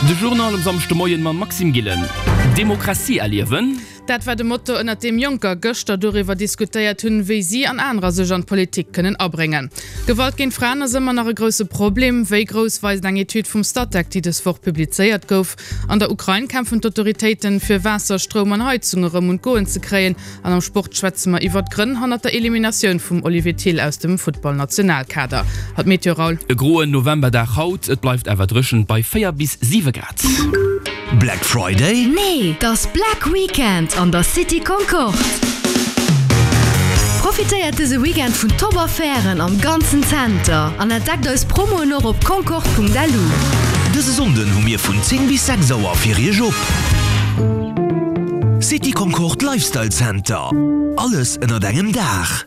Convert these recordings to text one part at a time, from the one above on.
De Journal um Samschdemoien mam Maxime Gillen. Demokratie erliewen. Dat war de Motto, ënnert deem Jonker gëschter doriwwer diskutéiert hunn, wéi si an anerer sech an d'Politik kënnen abréngen. Gewalt géint Fraen ass ëmmer nach e grousse Problem. Wéi grouss, weist eng Etüd vum Statec, déi dës Woch publizéiert gouf. An der Ukrain kämpfen d'Autoritéiten, fir Waasser, Stroum an Heizung erëm un d'Goen ze kréien. An am Sport schwätze mer iwwert d'Grënn hannert der Eliminatioun vum Olivier Thill aus dem Futtballnationalkader. Hatt Meteo Raoul. E groen Novemberdag haut, et bleift awer dréchen bei 4 bis 7 Grad. Black Friday? Nee, 't ass Black Weekend an der City Concorde! Profitéiert dëse Weekend vun top Affären am ganzen Zenter an entdeckt eis Promoen och op concorde.lu. Dëse Sonnden hu mir vun 10 bis 6 Auer fir iech op. City Concorde Lifestyle Center, alles ënnert engem Daach.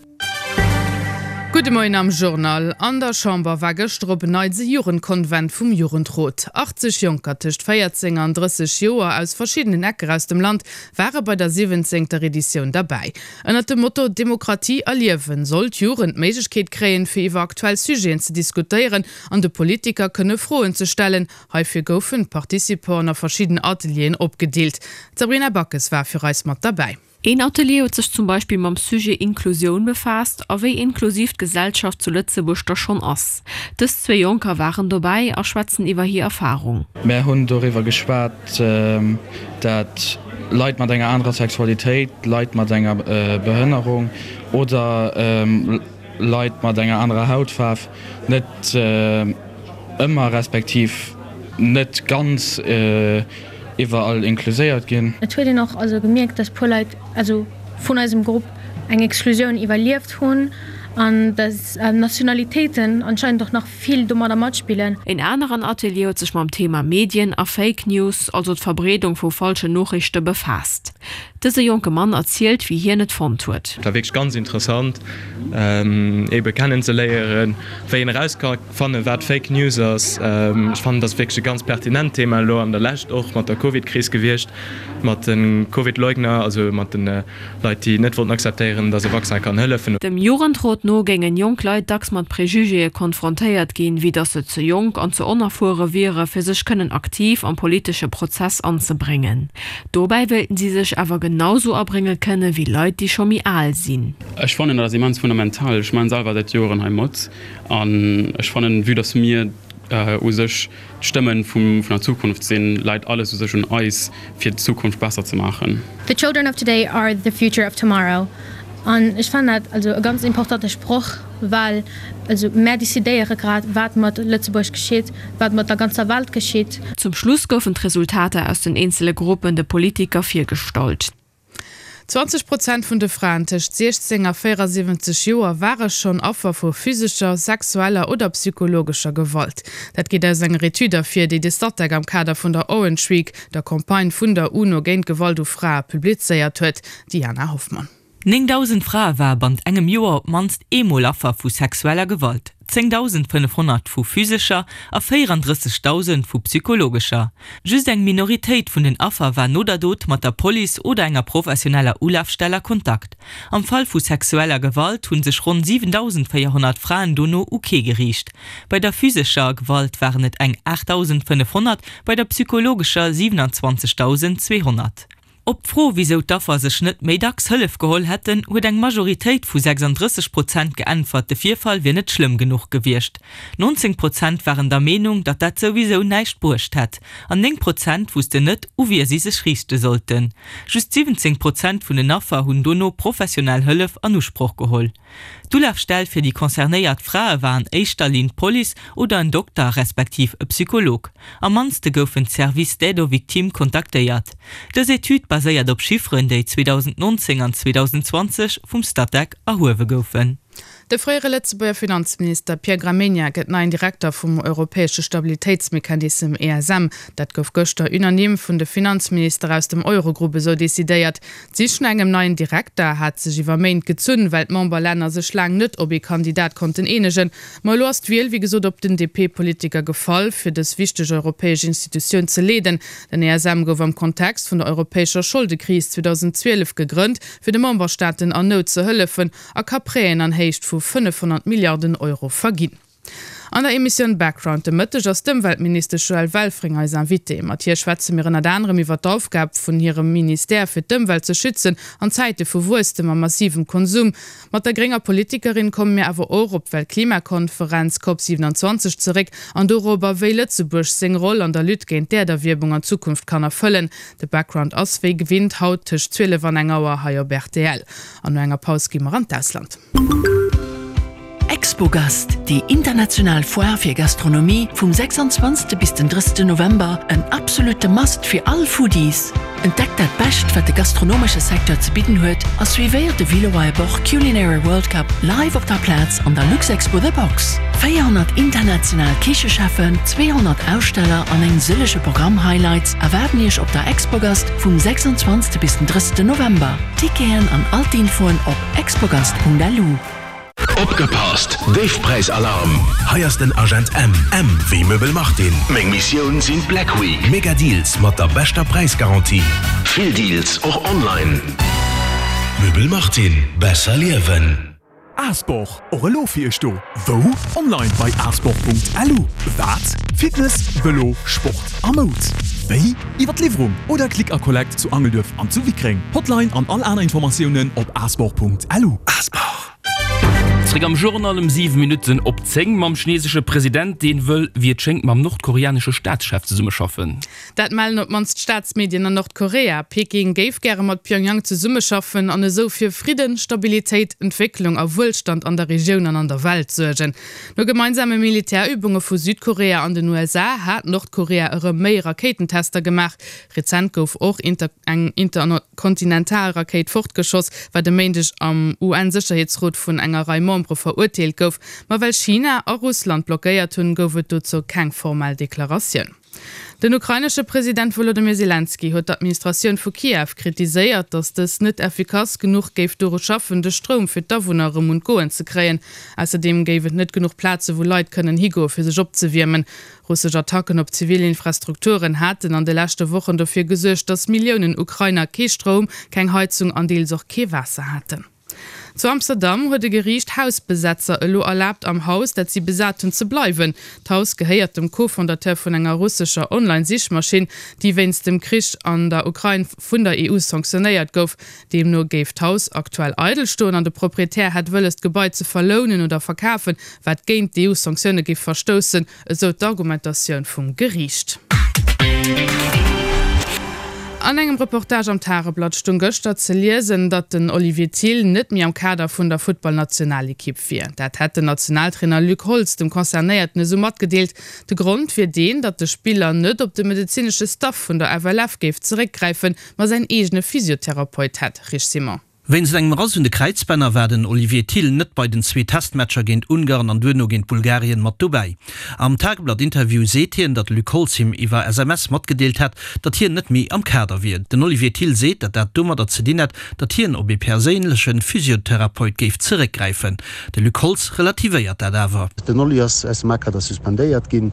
Gudde Moien am Journal. An der Chamber war gëschter op en Neits e Jugendkonvent vum Jugendrot. 80 Jonker tëscht 14 an 30 Joer aus verschiddenen Ecker aus dem Land ware bei der siwwenzéngter Editioun derbäi. Ënnert dem Motto Demokratie erliewen soll d'Jugend d'Méiglechkeet kréien, fir iwwer aktuell Sujeten ze diskutéieren an de Politiker kënne Froen ze stellen. Heifir goufen d'Participanten a verschidden Atelieren opgedeelt. D'Sabrina Backes war fir eis mat derbäi. Een Atelier huet sech zum Beispill mam Sujet Inklusioun befaasst a wéi inklusiv d'Gesellschaft zu Lëtzebuerg da schonn ass. Dës zwee Jonker waren dobäi a schwätzen iwwer hir Erfarung. Mär hunn doriwwer geschwat, dat Leit mat enger anerer Sexualitéit, Leit mat enger Behënnerung oder Leit mat enger anerer Hautfaarf net ëmmer respektiv net ganz iwwerall inkluséiert ginn. Et huet een och also gemierkt, dass puer Leit also vun eisem Grupp eng Exklusioun iwwerlieft hunn an dass Nationalitéiten anscheinend och nach vill domadder matspillen. Een aneren Atelier huet sech mam Thema Medien a Fake News, also d'Verbreedung vu falschen Noriichte befaasst. Dëse jonke Mann erzielt, wéi hien et fonnt huet. Et war wierklech ganz interessant, ebe kennen ze léieren, wéi een eraus ka fannen, wat Fake News ass. Ech fannen, et ass wierklech e ganz pertinent Thema elo an der Lescht, och mat der Covid-Kris gewiescht, mat de Covid-Leugner, also mat de Leit, déi net wollten akzeptéieren, datt e Vaccin kann hëllefen. Dem Jugendrot no géingen jonk Leit dacks mat Prejugéë konfrontéiert ginn, wéi datt se ze jonk an ze onerfuere wiere fir sech kënnen aktiv am politesche Prozess anzebréngen. Dobäi wéilten si sech awer genau sou abrénge kënne wéi Leit, déi scho méi al sinn. Ech fannen, dat ass immens fundamental. Ech maachen selwer säit Joeren hei mat an ech fannen, vue dass mir u sech d'Stëmmen vun der Zukunft sinn, läit alles u sech un eis, fir d'Zukunft besser ze maachen. The children of today are the future of tomorrow. An ech fannen dat also e ganz importante Sproch, well also mär decidéiere grad, wat mat Lëtzebuerg geschitt, wat mat der ganzer Welt geschitt. Zum Schluss goufen d'Resultater aus den eenzele Gruppen de Politiker virgestallt. 20 Prozent vun de Fraen tëscht 16 a 74 Joer ware schonn Affer vu physescher, sexueller oder psychologescher Gewalt. Dat geet aus enger Etüd ervir, déi de Statec am Kader vun der Orange Week, der Campagne vun der UNO géint Gewalt u Frae, publizéiert huet. Diana Hoffmann. 9.000 Frae ware bannt engem Joer op d'mannst eemol Affer vu sexueller Gewalt, 10.500 vu physescher a 34.000 vu psychologescher. Just eng Minoritéit vun den Affer war no der Dot mat der Police oder enger professioneller Ulafstell a Kontakt. Am Fall vu sexueller Gewalt hu sech ronn 7.400 Fraen dono u kee geriicht. Bei der physescher Gewalt waren et eng 8.500, bei der psychologescher 27.200. Op d'Fro, wisou d'Affer sech net méi dacks Hëllef geholl hätten, huet eng Majoritéit vu 36 Prozent geäntwert, de Virfall wier net schlëmm genuch gewiescht. 19 Prozent waren der Meenung, datt dat souwisou näischt bruecht hätt. An 9 Prozent wussten net, u wie si sech riichte sollten. Just 17 Prozent vun den Affer hunn dono professionell Hëllef an Usproch geholl. D'Ulafstell fir déi concernéiert Frae war an éischter Linn d'Police oder en Dokter respektiv e Psycholog. Am mannste goufen d'Services d'aide aux victimes kontaktéiert. Dës Etüd baséiert op Chifferen, déi 2019 an 2020 vum Statec erhuewe goufen. De fréiere Lëtzebuerger Finanzminister Pierre Gramegna gëtt neien Direkter vum europäesche Stabilitéitsmechanissem ESM. Dat gouf gëschter unanime vun de Finanzminister aus dem Eurogrupp esou decidéiert. D'Sich no engem neien Direkter hat sech iwwer Méint gezunn, well d'Memberlänner sech laang net op ee Kandidat konnten eenegen. Ma elo ass d'Wiel wéi gesot op den DP-Politiker gefall, fir dës wichteg europäesch Institutioun ze leeden. Den ESM gouf am Kontext vun der europäescher Scholdekris 2012 gegrënnt, fir de Memberstaaten an Nout ze hëllefen a ka Prêten an Héicht vu 500 Milliarden Euro verginn. An der Emissioun Background de Mëtteg ass d'Ëmweltministesch Joëlle Welfring eis Invitée. Mat hir schwätze mir ënnert anerem iwwer d'Aufgab vun hirem Ministère fir d'Ëmwelt ze schützen an Zäite vu Wuesstem a massivem Konsum. Mat der grénger Politikerin komme mir awer och op d'Weltklimakonferenz Cop 27 zeréck an dorobber, wéi Lëtzebuerg seng Roll an der Lutte géint d'Äerderwiermung an Zukunft kann erfëllen. De Background ass wéi gewinnt haut tëscht 12 an eng Auer hei op rtl. An no enger Paus gi mer an d'Ausland. Expogast, déi international Foire fir Gastronomie vum 26. bis den 30. November, en absolute Must fir all Foodies! Entdeckt dat Bescht, wat de gastronomesche Secteur ze bidden huet a suivéiert de Willeroy Boch Culinary World Cup live op der Plaz an der Luxexpo The Box. 400 international Kichecheffen, 200 Aussteller an eng sëllege Programm-Highlights erwaarden Iech op der Expogast vum 26. bis den 30. November. Ticketen an all d'Infoen op expogast.lu. Opgepasst! Déifpräisalarm! Hei ass den Agent M. M wéi Möbel Martin. Meng Missioun sinn d'Black Week Mega Deals mat der beschter Präisgarantie. Vill Deals och online. Möbel Martin, besser liewen. Asport, och elo fir iech do! Wou? Online bei asport.lu. Wat? Fitness, Vëlo, Sport a Moud. Wéi? Iwwer d'Liwwerung oder Click a Collect zu Angelduerf an zu Wickreng. Hotline an all aner Informatiounen op asport.lu. Asport. Zréck am Journal um 7 Minutten op 10 mam chinesesche President, deen wëll, wéi et schéngt, mam nordkoreanesche Staatschef zesummeschaffen. Dat mellen op d'mannst d'Staatsmedien an Nordkorea. Peking géif gäre mat Pyongyang zesummeschaffen an esou fir Fridden, Stabilitéit, Entwécklung a Wuelstand an der Regioun an an der Welt suergen. No gemeinsame Militärübunge vu Südkorea an den USA hat Nordkorea erëm méi Rakéitentester gemaach. Rezent gouf och eng Interkontinentalrakéit fortgeschoss, wat e Méindeg am UN-Sécherheetsrot vun enger Rei Membere verurteelt gouf. Ma well China a Russland blockéiert hunn, gouf et dozou keng formell Deklaratioun. Den ukrainesche President Wolodymyr Selenskyj huet d'Administratioun vu Kiew kritiséiert, datt dës net effikass genuch géif doru schaffen, de Stroum fir d'Awunner erëm un d'Goen ze kréien. Ausserdeem géif et net genuch Plaze wou Leit kënnen higoe fir sech opzewiermen. Russesch Attacken op zivil Infrastrukturen haten an de leschte Wochen dofir gesuergt, datt Milliounen Ukrainer kee Stroum, keng Heizung an deels och kee Waasser haten. Zu Amsterdam huet e Geriicht Hausbesetzer elo erlaabt, am Haus, dat si besat hunn, ze bleiwen. D'Haus gehéiert dem Co-Fondateur vun enger russescher Online-Sichmaschinn, déi wéinst dem Krich an der Ukrain vun der EU sanktionéiert gouf. Deemno géif d'Haus aktuell eidel stoen an de Proprietär hätt wëlles, d'Gebai ze verlounen oder verkafen, wat géint d'EU-Sanktioune géif verstoussen. Esou d'Argumentatioun vum Geriicht. An engem Reportage am Tageblatt stung gëschter ze liesen, datt den Olivier Thill net méi am Kader vun der Futtballnationalekipp wier. Dat hätt den Nationaltrainer Luc Holtz dem Concernéierten esou matgedeelt. De Grond wier deen, datt de Spiller net op de medezinesche Staff vun der FLF géif zeréckgräifen, ma säin eegene Physiotherapeut hätt. Rich Simon. Wéinst engem Rass un de Kräizbänner war den Olivier Thill net bei den zwee Testmatcher géint Ungarn an duerno géint Bulgarien mat dobäi. Am Tageblatt-Interview seet hien, datt de Luc Holtz him iwwer SMS matgedeelt hätt, datt hien net méi am Kader wier. Den Olivier Thill seet, datt dat domadder ze dinn hätt, datt hien op ee perséinleche Physiotherapeut géif zeréckgräifen. De Luc Holtz relativéiert dat awer. Den Oli ass aus dem A-Kader suspendéiert ginn.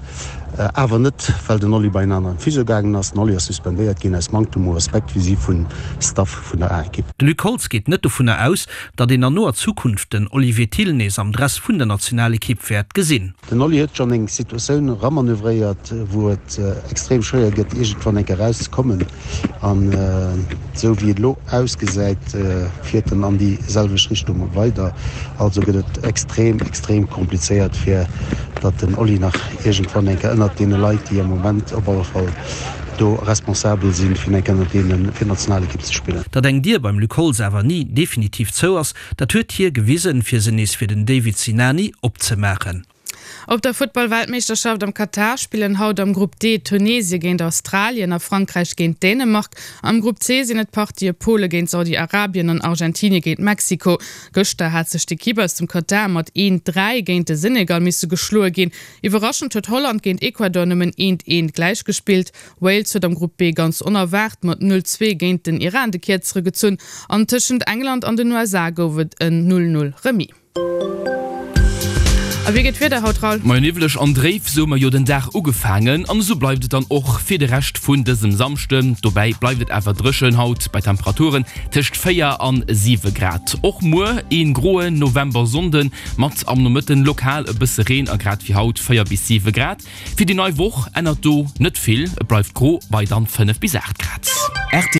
Awer net well den Oli bei en aneren Physio gaangen ass. Den Oli ass suspendéiert ginn aus Manktem u Respekt vis-à-vis vun Staff vun der A-Ekipp. De Luc Holtz geet net dovunner aus, datt een an noer Zukunft den Olivier Thill nees am Dress vun der Nationalekipp wäert gesinn. Den Oli huet schonn eng Situatioun eramanövréiert, wou et extrem schwéier gëtt iergendwann eng Kéier erauszekommen. An esou wéi et elo ausgesäit, fiert en an déi selwecht Richtung weider. Also gëtt et extrem, extrem komplizéiert, fir datt den Oli nach iergendwann eng Kéier ënnert deene Leit, déi am Moment op alle Fall do responsabel sinn, fir eng Kéier ënnert deene fir d'Nationalekipp ze spillen. Datt eng Dier beim Luc Holtz awer ni definitiv zou ass, dat huet hie gewisen, fir se nees fir den David Sinani opzemaachen. Op der Futtball-Weltmeeschterschaft am Katar spillen haut am Grupp D Tunesie géint Australien a Frankräich géint Dänemark. Am Grupp C sinn et d'Partië Pole géint Saudi-Arabien an Argentinie géint Mexiko. Gëschter hat sech d'Ekipp aus dem Katar mat 1, 3 géint de Senegal misse geschloe ginn. Iwwerraschend huet Holland géint Ecuador nëmmen 1, 1 gläichgespillt. Wales huet am Grupp B ganz onerwaart mat 0, 2 géint den Iran de Kierzere gezunn an tëschent England an den USA gouf et en 0, 0 Remis. A wéi geet d'Wieder haut, Raoul? Majo, niwweleg an dréif, sou hu mer jo den Dag ugefaangen an esou bleift et dann och fir de Rescht vun dësem Samschden. Dobäi bleift et awer dréchen haut bei Temperaturen tëscht 4 an 7 Grad. Och muer een groen November-Sonnden mat am Nomëtten lokal e bësse Reen a grad wéi haut 4 bis 7 Grad. Fir déi nei Woch ännert do net vill, et bleift gro bei dann 5 bis 8 Grad.